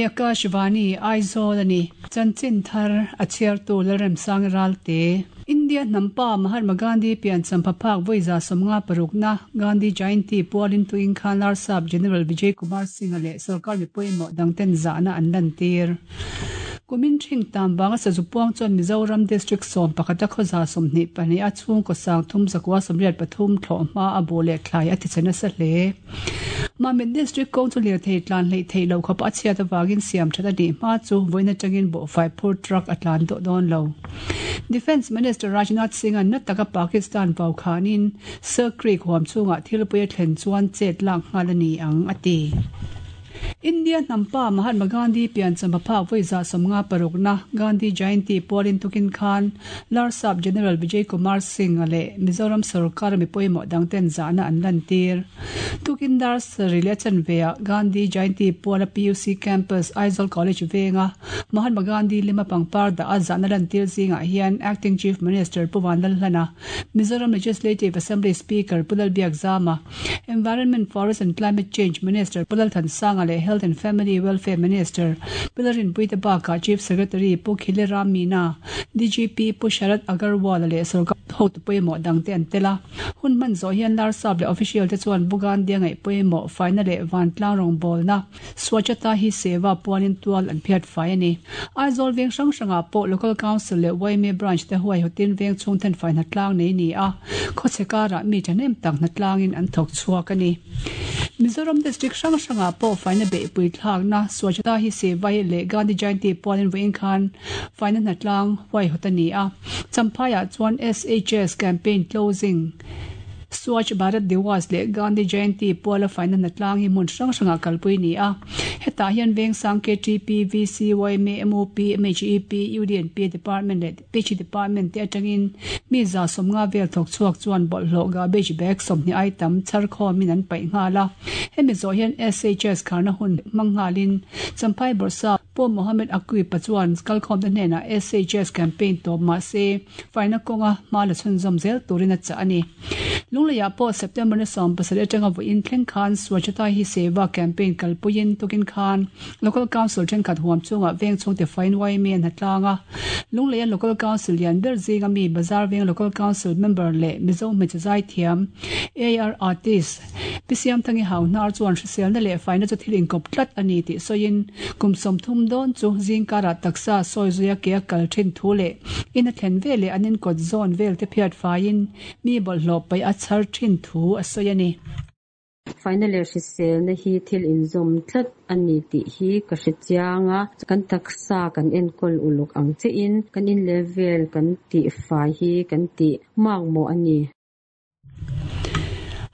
Hei hi Akashvani, Aizawl a ni. Chanchin thar a chhiartu Lalremsang Ralte. India hnam pa Mahatma Gandhi piancham phaphak vawi 56na Gandhi Jayanti pualin tuin khan Larsap General Vijay Kumar Singh-a leh sorkar mi pawimawh dangten zahna an lantir. Kumin thing tam vanga sazu puang chuan Mizoram District 11 a khawza 22 a chhungkaw 3,983 thlawh hma a bu leh thlai a tichhe nasa hle. Mamit District kawng chu lirthei tlan hleih theih loh khawp a chhiat avangin siam that a nih hma chu vawiin atangin bawhfai phur truck a tlan tawh dawn lo. Defence Minister Rajnath Singh-a'n na taka Pakistan vau khanin Sir Creek huam chhungah thilpui a thlen chuan chet lak nghal a ni ang, a ti. India hnam pa Mahatma Gandhi piancham a phak vawi 56na Gandhi Jayanti pualin tukin khan Larsap General Vijay Kumar Singh-a leh Mizoram sorkara mi pawimawh dangten zahna an lantir. Tukin dar sarih leh a chanveah Gandhi Jayanti puala PUC Campus, Aizawl College venga Mahatma Gandhi lima pangpar dah a zahna lantir zingah hian Acting Chief Minister Pu Vanlalhlana, Mizoram Legislative Assembly Speaker Pu Lalbiakzama, Environment, Forest and Climate Change Minister Pu Lalthansanga leh Health and Family Welfare Minister Pu Lalrinpuii te bakah Chief Secretary Pu Khile Ram Meena, DGP Pu Sharad Agarwal-a leh sorkar hotu pawimawh dangte an tel a. Hun hman zawh hian Larsap leh official te chuan Pu Gandhi-a ngaih pawimawh faina leh vantlang rawngbawlna Swachhata Hi Seva puanin tual an phiat fai a ni. Aizawl veng hrang hrangah pawh Local Council leh yma Branch te huaihawtin veng chhung thenfai hnatlang nei ni a, khawchhe karah mi thahnem tak hnatlangin an thawk chhuak a ni. Mizoram District hrang hrangah pawh faina beihpui thlakna Swachhata Hi Seva hi leh Gandhi Jayanti pualin vawiin khan faina hnatlang huaihawt a ni a. Champhaiah chuan SHS Campaign Closing, Swachh Bharat Diwas leh Gandhi Jayanti puala faina hnatlang hi hmun hrang hrangah kalpui a ni a. Hetah hian Vengsang KTP, VC, yma, MOP, MHEP, UDNP Department leh PHE Department te atangin mi 150 vel thawk chhuak chuan bawlhhlawh garbage bag 20 ai tam chhar khawmin an paih nghal a. Hemi zawh hian SHS kharna hun hmang nghalin Champhai Bawrhsap Pu Mohammed Aqib-a chuan kalkhawmte hnenah SHS campaign tawp mah se faina kawnga hma la chhunzawm zel turin a chah a ni. Lungleiah pawh September ni 17 atanga vawiin thleng khan Swachhata Hi Seva campaign kalpuiin tukin khan Local Council thenkhat huam chungah veng chhungte fain yma an hatlang a. Lungleia Local Council lian ber zinga mi Bazar Veng Local Council member leh Mizo hmeichhe zaithiam AR Artist Pi Siamthangi Hauhnar chuan hriselna leh faina chu thil inkawp tlat a ni tih sawiin kum 30 dawn chu zingkarah taksa sawi zuia ke a kal thin thu leh in a thlen veleh an inkawt zawn vel te phiat faiin mi bawlhhlawh paih a chhar thin thu a sawi a ni. Faina leh hriselna hi thil inzawm tlat a ni tih hi ka hre chiang a, kan taksa kan enkawl uluk ang chiahin kan in level kan tih fai hi kan tih makmawh a ni.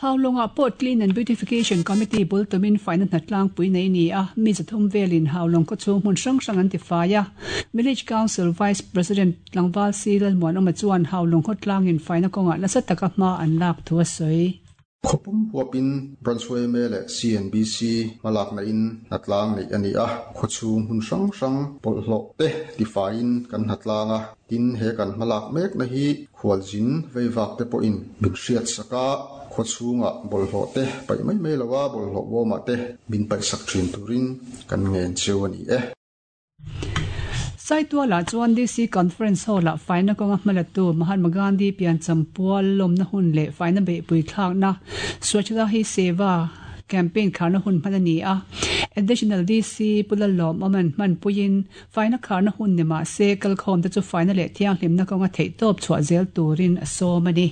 Haulawngah pawh Clean and Beautification Committee bul tumin faina hnatlangpui nei ni a, mi 300 velin Haulawng khawchhung hmun hrang hrang an tifai a. Village Council Vice President Tlangval Si Lalmuanawma chuan Haulawng khawtlangin faina kawngah nasa taka hma an lak thu a sawi. Khawpum huapin Branch yma leh CNBC hmalakna in hnatlang neih a ni a, khawchhung hmun hrang hrang bawlhhlawh te tifaiin kan hnatlang a, tin he kan hmalak mekna hi Khualzin veivak te pawhin min hriat sak a, khawchhungah bawlhhlawh te paih mai mai lo a, bawlhhlawh bawmah te min paih sak thin turin kan ngen cheu a ni e. Saitualah chuan DC Conference Hall-ah faina kawnga hmalatu Mahatma Gandhi piancham pual lawmna hun leh faina beihpui thlakna Swachhata Hi Seva campaign kharna hun hman a ni a. Additional DC Pu Lalawm-awman hmanpuiin Faina kharna hun ni mah se, kalkhawmte chu faina leh thianghlimna kawnga theihtawp chhuah zel turin a sawm a ni.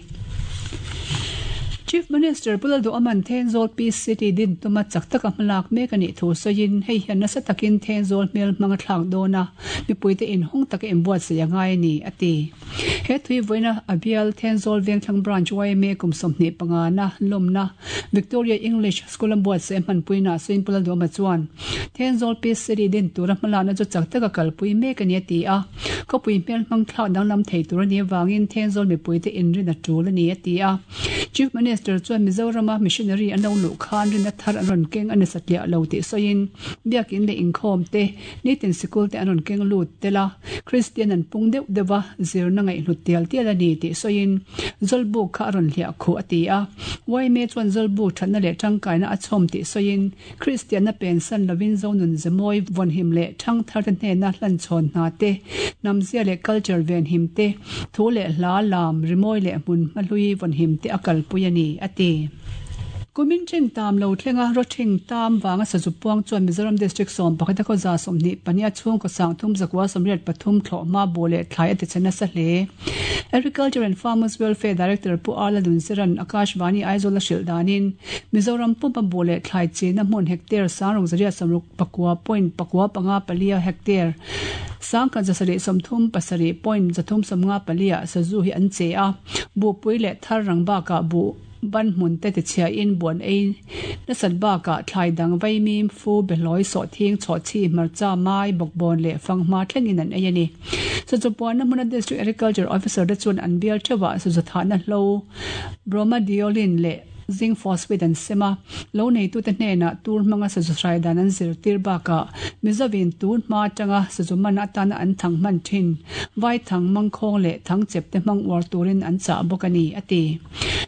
Chief Minister Pu Lalduhaman Thenzawl Peace City din tuma chak taka hmalak mek a nih thu sawiin, hei hian nasa takin Thenzawl hmel hmang a thlak dawn a, mipuite inhawng taka inbuatsaih a ngai a ni, a ti. He thui vawiina a bial Thenzawl Vengthlang Branch yma kum 25 na lawmna Victoria English School a buatsaih a hmanpuina sawiin Pu Lalduhama chuan Thenzawl Peace City din tura hmalakna chu chak taka kalpui mek a ni a ti a. Khawpui hmel hmang thlak danglam thei tur a nih avangin Thenzawl mipuite inrin a tul a ni a ti a. Chief Minister chuan Mizorama missionary an lo luh khan rinna thar an rawn keng a ni satliah lo tih sawiin, Biakin leh inkhawm te, nitin sikul te an rawn keng lut tel a, Kristian an pung deuh deuh a, zirna ngaihhlut tial tial a ni tih sawiin Zawlbuk kha a rawn hliah khuh a ti a. Yma chuan Zawlbuk thatna leh tangkaina a chhawm tih sawiin Kristianna pensan lovin Zonun Zemawi vawnhim leh thangtharte hnena hlanchhawn hna te, hnamzia leh culture venhim te, thu leh hla, lam, rimawi leh hmun hmahlui vawnhim te a kalpui a ni, a ti. Kumin ṭhing tam lo thlenga rawṭhing tam vanga sazu puang chuan Mizoram District 11 a khawza 22 a chhungkaw sangthum zakua 83 thlawh hma bu leh thlai a tichhe nasa hle. Agriculture and Farmers Welfare Director Pu Arla Nunziran Akashvani Aizawl a hrilh danin Mizoram pumpa bu leh thlai chinna hmun hectare sangruk zariat sawmruk pakua point pakua panga palia hectare sangkhat zasarih sawmthum pasarih point zathum sawmnga palia sazu hi an che a, buhpui leh thar rang bakah buh ban hmun te tichhiain buan ei nasat bakah thlai dang vaimim, fu, behlawi, sawhthing, chhawhchhi, hmarcha, mai, bawkbawn leh fanghma thlengin an ei a ni. Sazu puanna hmuna District Agriculture Officer te chuan an bial theuhah sazu thahna hlo Bromadiolin leh Zinc phosphate an sem a, lo neitute hnenah tur hmanga sazu hrai dan an zirtir bakah Mizovin tun hma atanga sazu man atana an thang hman thin vaithang, mangkhawng leh thangchep te hmang uar turin an chah bawk a ni, a ti.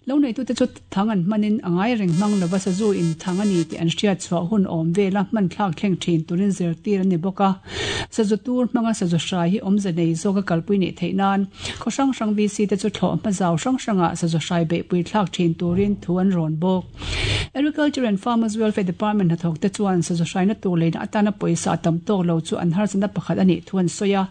Lo neitute chu thang an hmanin a ngai reng hmang lova sazu in thang a ni tih an hriat chhuah hun awm vela hman thlak thleng thin turin zirtir an ni bawk a. Sazu tur hmanga sazu hrai hi awmze nei zawka kalpui neih theih nan khaw hrang hrang VC te chu thlawh hma zau hrang hrangah sazu hrai beihpui thlak thin turin thu an rawn bawk. Agriculture and Farmers Welfare Department hnathawk te chuan sazu hraina tur leina atana pawisa a tam tawk lo chu an harsatna pakhat a nih thu an sawi a.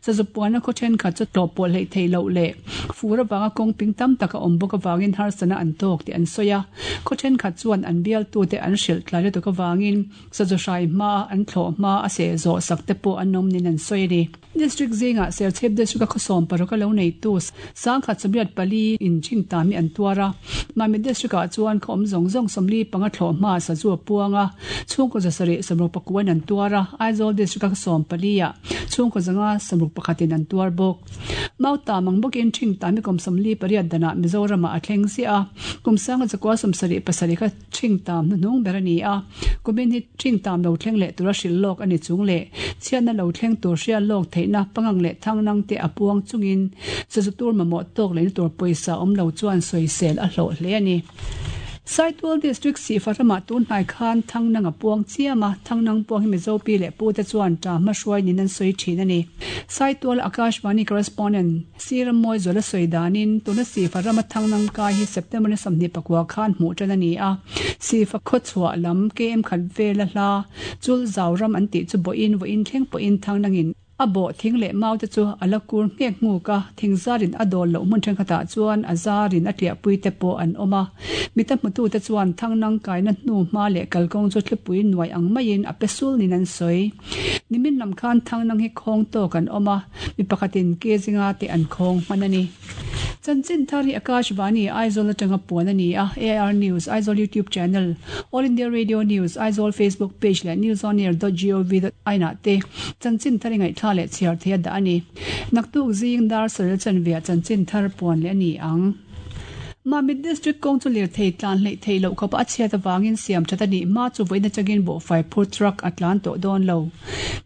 Sazu puanna khaw thenkhat chu tlawh pawh hleih theih loh leh fur avanga kawng ping tam tak a awm bawk avangin harsatna an tawk tih an sawi a. Khaw thenkhat chuan an bialtute an hrilh tlai lutuk avangin sazu hrai hmaa an thlawh hma a seh zawh sak te pawh an awm niin an sawi a ni. District zingah Serchhip District a khawsawm paruk a lo neitu sangkhat 84 in ṭhing tam hi an tuar a. Mamit District ah chuan khaw awm zawng zawng 45 thlawh hma sazu a puang a, chhungkaw 700 60 in an tuar a, Aizawl District a khawsawm pali ah chhungkaw 561 in an tuar bawk. Mautam ang bawkin ṭhing tam hi kum 48 danah Mizoram ah a thleng ziah a, kum 1977 kha Ṭhing tam hnuhnung ber a ni a, kumin hi ṭhing tam lo thleng leh tura hrilh lawk a ni chung leh chhiatna lo thleng tur hriat lawk theihna pangang leh thangnang te a puang chungin sazu tur mamawh tawk lehna tur pawisa awm lo chuan sawisel a hlawh hle a ni. Saitual District Sihfa ramah tun hnai khan thangnang a puang chiam a, thangnang puang hi Mizo pi leh pu te chuan ṭa hma hruai niin an sawi ṭhin a ni. Saitual Akashvani Correspondent. Sir Mawizuala sawi danin, tuna Sifa rama thangnang kai hi September ni 24 khan hmuh tan a ni a. Sifa khawchhuah lam KM khat vela hla chul zau ram an tih chu bawhin vawiin thleng pawhin thangnangin a bawh thing leh mau te chu a la kur nghek nghuk a, thing zarin a dawl loh hmun thenkhatah chuan a zarin a tliahpui te pawh an awm a. Mita hmutute chuan thangnang kaina hnu hma leh kalkawng chu thlipui nuai ang maiin a pe sul niin an sawi. Nimin lam khan thangnang hi khawng tawk an awm a. Mi pakhatin ke zinga te an khawng hman a ni. Chanchin thar hi Akashvani, Aizawl atanga puan a ni a, AIR News, Aizawl YouTube Channel, All India Radio News, Aizawl Facebook Page leh newsonair dot gov dot in ah te chanchin thar i ngaihthla leh chhiar thei a dah a ni. Naktuk zing dar saril chanve ah chanchin thar puan leh a ni ang. Mamit District kawng chu lirthei tlan hleih theih loh khawpa a chhiat avangin siam that a nih hma chu vawiin atangin buhfai phur truck a tlan tawh dawn lo.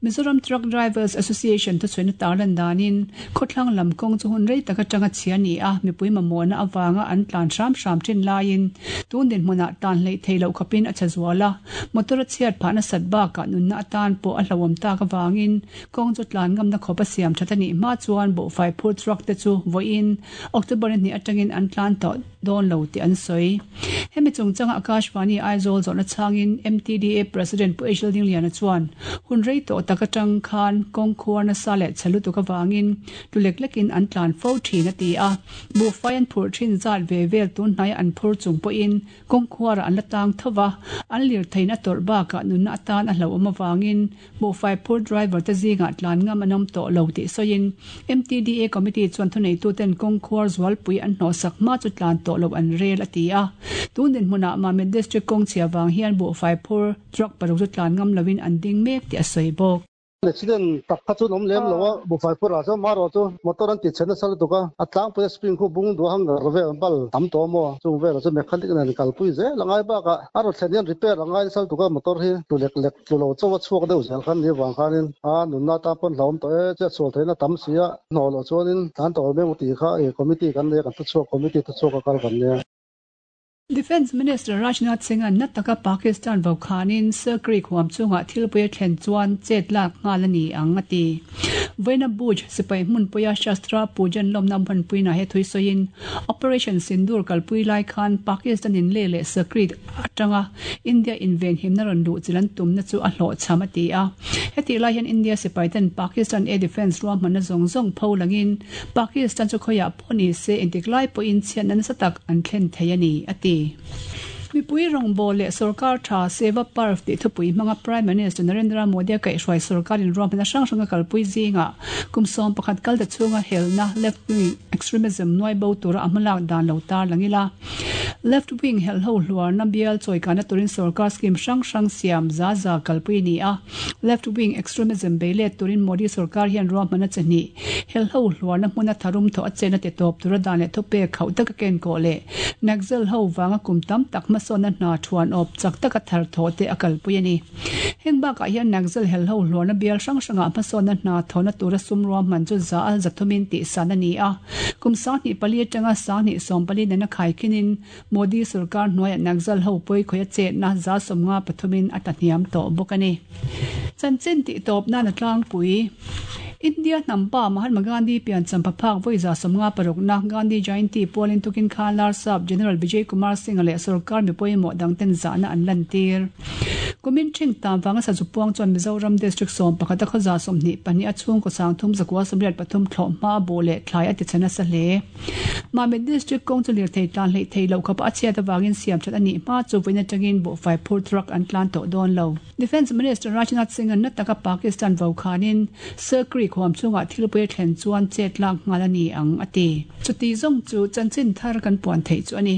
Mizoram Truck Drivers Association thuchhuina tarlan danin khawthlang lam kawng chu hun rei tak atanga chhia a ni a, mipui mamawhna avanga an tlan hram hram thin laiin tun dinhmunah tlan hleih theih loh khawpin a chhe zual a, motor a chhiat phah nasat bakah nunna atan pawh a hlauhawm tak avangin kawng chu tlan ngamna khawp a siam that a nih hma chuan buhfai phur truck te chu vawiin October ni hnih atangin an tlan tawh dawn lo tih an sawi. Hemi chungchanga Akashvani Aizawl zawhna chhangin MTDA President Pu Ejil Dingliana chuan hun rei tawh tak atang khan kawng khuar nasa leh chhe lutuk avangin tlu lek lekin an tlan fo thin a ti a. Buhfai an phurh thin zat ve vel tun hnaia an phur chung pawhin kawng khuarah an la tang tho va, an lirtheiin a tawrh bakah nunna atan a hlauhawm avangin Buhfai phur driver te zingah tlan ngam an awm tawh lo tih sawiin MTDA committee chuan thuneituten kawng khuar zualpui an hnawhsak hma chu tlan tawh loh an rel a ti a. Tun dinhmunah Mamit District kawng chhia vang hian buhfai phur truck paruk chu tlan ngam loin an ding mek tih a sawi bawk. Accident tak kha chu an awm lem lo a, buhfai phurh ah chuan marawh chu motor an ti chhe nasa lutuk a, a tlangpui a spring khu bung duah hangar vel an bal tam tawh maw, chung velah chu mechanic nen kalpui zel a ngai bakah a rawn thlen hian repair a ngai nasa lutuk a, motor hi tlu lek lek tlu lo chauh a chhuak deuh zel khan ni avang khanin a nunna atan pawn hlauhawm tawh e, chiat sual theihna tam si a, hnawh loh chuanin tlan tawh lo mai ang tih kha committee kan nei a, kan thuchhuak committee thuchhuak a kal kan nia. Defence Minister Rajnath Singh-a'n na taka Pakistan vokhanin Sir Creek huam chungah thilpui a thlen chuan chet lak nghal a ni ang, a ti. Vawiina Bhuj sipai hmunpuia Shastra Pujan lawmna hmanpuinaah he thui sawiin Operation Sindoor kalpui lai khan Pakistan-in Leh leh Sir Creek atanga India invenhimna rawn luh chilh an tumna chu a hlawhchham a ti a. Hetih lai hian India sipaiten Pakistan Air Defence ruahmanna zawng zawng pho langin Pakistan chu khawiah pawh ni se intik lai pawhin chhiatna nasa tak an thlen thei a ni, a ti. Mipui rawngbâwl leh sorkar tha Seva Parv tih thupui hmanga Prime Minister Narendra Modi-a kaihhruai sorkar inruahmanna hrang hranga kalpui zingah kum 11 kal ta chhunga helna left wing extremism nuai bo tura a hmalak dan lo tar lang ila. Left wing helho hluarna bial chawikana turin sorkar scheme hrang hrang siam za za kalpui a ni a. Left wing extremism bei let turin Modi sorkar hian ruahmanna chi hnih Helho hluarna hmuna tharum thawh a chen a ti tawp tura dan leh thupek khauh taka ken kawh leh Naxal ho vanga kum tam tak hmasawnna hna thuan awp chak taka thar thawh te a kalpui a ni. Heng bakah hian Naxal helho hluarna bial hrang hrangah hmasawnna hna thawhna tura sum ruahman chu za a zathumin tihsan a ni a. Kum 24 atanga 24 nena khaikhinin Modi sorkar hnuaiah Naxal ho pawi khawih a chetna 53 in a tlahniam tawh bawk a ni. Chanchin tih tawp nan a tlangpui. India hnam pa Mahatma Gandhi piancham phaphak vawi 56 na Gandhi Jayanti pualin tukin khan Larsap General Vijay Kumar Singh-a leh sorkar mi pawimawh dangten zahna an lantir. Kumin ṭhing tam vanga sazu puang chuan Mizoram District 11 a khawza 22 a chhungkaw 3 183 thlawh hma a buh leh thlai a ti chhe nasa hle. Mamit District kawng chu lirthei tlan hleih thei loh khawpa a chhiat avangin siam that a nih hma chu vawiin atangin buhfai phur truck an tlan tawh dawn lo. Defence Minister Rajnath Singh-a'n na taka Pakistan vokhanin Sir Creek huam chungah thilpui a thlen chuan chet lak nghal a ni ang, a ti. Chuti zawng chu chanchin thar kan puan theih chu a ni.